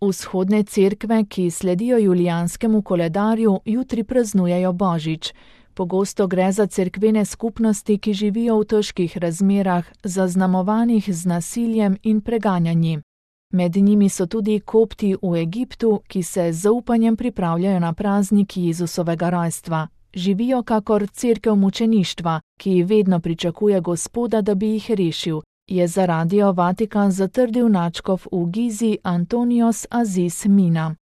Vzhodne cerkve, ki sledijo julijanskemu koledarju, jutri praznujejo Božič. Pogosto gre za cerkvene skupnosti, ki živijo v težkih razmerah, zaznamovanih z nasiljem in preganjanji. Med njimi so tudi kopti v Egiptu, ki se z zaupanjem pripravljajo na praznik Jezusovega rojstva. Živijo kakor cerkev mučeništva, ki vedno pričakuje Gospoda, da bi jih rešil, je za Radio Vatikan zatrdil nadškof v Gizi Antonios Aziz Mina.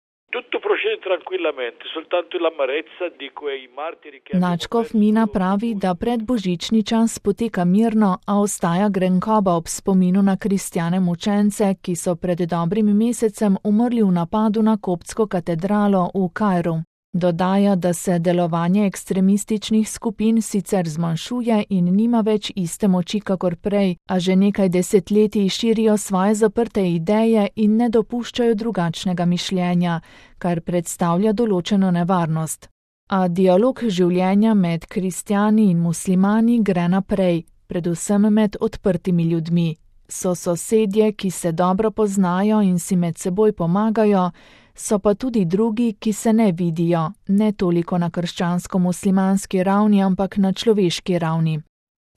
Nadškof Mina pravi, da predbožični čas poteka mirno, a ostaja grenkoba ob spominu na kristjane mučence, ki so pred dobrim mesecem umrli v napadu na koptsko katedralo v Kairu. Dodaja, da se delovanje ekstremističnih skupin sicer zmanjšuje in nima več iste moči kakor prej, a že nekaj desetletij širijo svoje zaprte ideje in ne dopuščajo drugačnega mišljenja, kar predstavlja določeno nevarnost. A dialog življenja med kristjani in muslimani gre naprej, predvsem med odprtimi ljudmi. So sosedje, ki se dobro poznajo in si med seboj pomagajo, so pa tudi drugi, ki se ne vidijo, ne toliko na krščansko-muslimanski ravni, ampak na človeški ravni.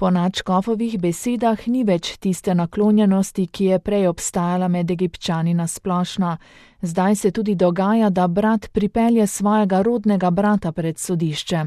Po nadškofovih besedah ni več tiste naklonjenosti, ki je prej obstajala med Egipčani na splošno. Zdaj se tudi dogaja, da brat pripelje svojega rodnega brata pred sodišče.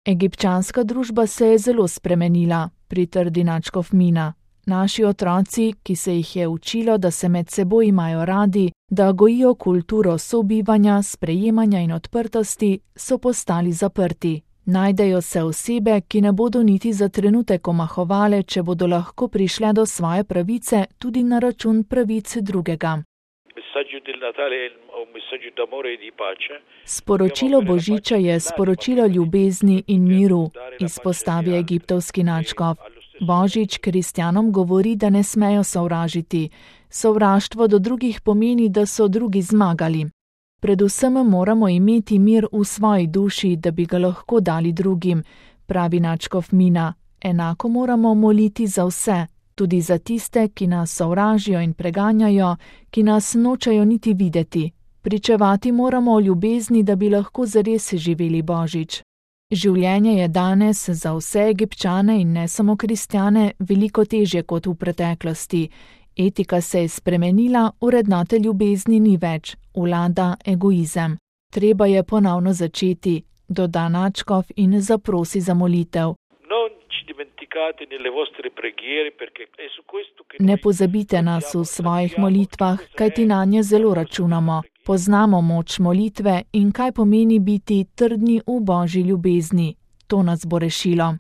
Egipčanska družba se je zelo spremenila, pritrdi nadškof Mina. Naši otroci, ki se jih je učilo, da se med seboj imajo radi, da gojijo kulturo sobivanja, sprejemanja in odprtosti, so postali zaprti. Najdejo se osebe, ki ne bodo niti za trenutek omahovale, če bodo lahko prišle do svoje pravice tudi na račun pravic drugega. Sporočilo Božiča je sporočilo ljubezni in miru, izpostavi egiptovski nadškof. Božič kristjanom govori, da ne smejo sovražiti. Sovraštvo do drugih pomeni, da so drugi zmagali. Predvsem moramo imeti mir v svoji duši, da bi ga lahko dali drugim, pravi nadškof Mina. Enako moramo moliti za vse, tudi za tiste, ki nas sovražijo in preganjajo, ki nas nočejo niti videti. Pričevati moramo o ljubezni, da bi lahko zares živeli Božič. Življenje je danes za vse Egipčane in ne samo kristjane veliko težje kot v preteklosti. Etika se je spremenila, vrednote ljubezni ni več, vlada egoizem. Treba je ponovno začeti, doda nadškof in zaprosi za molitev. Ne pozabite nas v svojih molitvah, kajti nanje zelo računamo. Poznamo moč molitve in kaj pomeni biti trdni v Božji ljubezni. To nas bo rešilo.